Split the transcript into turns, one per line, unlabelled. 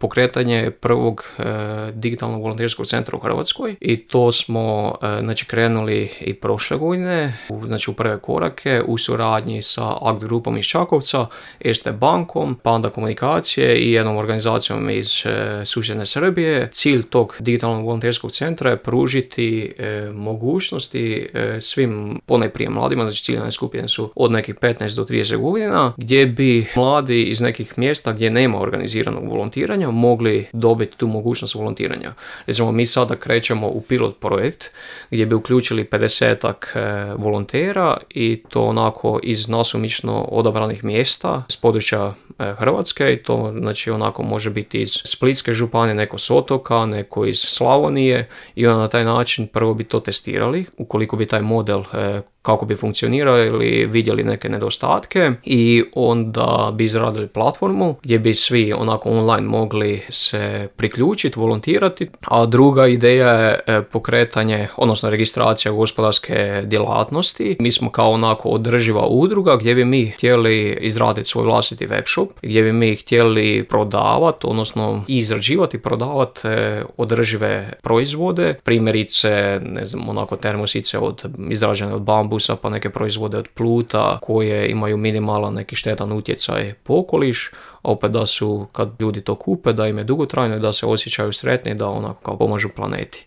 pokretanje prvog digitalnog volonterskog centra u Hrvatskoj i to smo krenuli i prošle godine, u prve korake u suradnji sa Akt grupom iz Čakovca, Erste bankom, Panda komunikacije i jednom organizacijom iz susjedne Srbije. Cilj tog digitalnog volonterskog centra je pružiti mogućnosti svim, ponajprije mladima, znači ciljane skupine su od nekih 15 do 30 godina, gdje bi mladi iz nekih mjesta gdje nema organiziranog volontiranja mogli dobiti tu mogućnost volontiranja. Recimo, mi sada krećemo u pilot projekt gdje bi uključili 50-ak volontera i to onako iz nasumično odabranih mjesta s područja Hrvatske i to znači onako može biti iz Splitske županije, neko s otoka, neko iz Slavonije i onda na taj način prvo bi to testirali ukoliko bi taj model kako bi funkcionirao ili vidjeli neke nedostatke i onda bi izradili platformu gdje bi svi onako online mogli se priključiti, volontirati, a druga ideja je pokretanje, odnosno registracija gospodarske djelatnosti. Mi smo kao onako održiva udruga gdje bi mi htjeli izraditi svoj vlastiti web shop, gdje bi mi htjeli prodavati, odnosno izrađivati i prodavati održive proizvode, primjerice, ne znam, onako termosice izrađene od bambusa, pa neke proizvode od pluta koje imaju minimalan neki štetan utjecaj po okoliš, a opet da su, kad ljudi to kupe, da im je dugotrajno i da se osjećaju sretni, da onako kao pomažu planeti.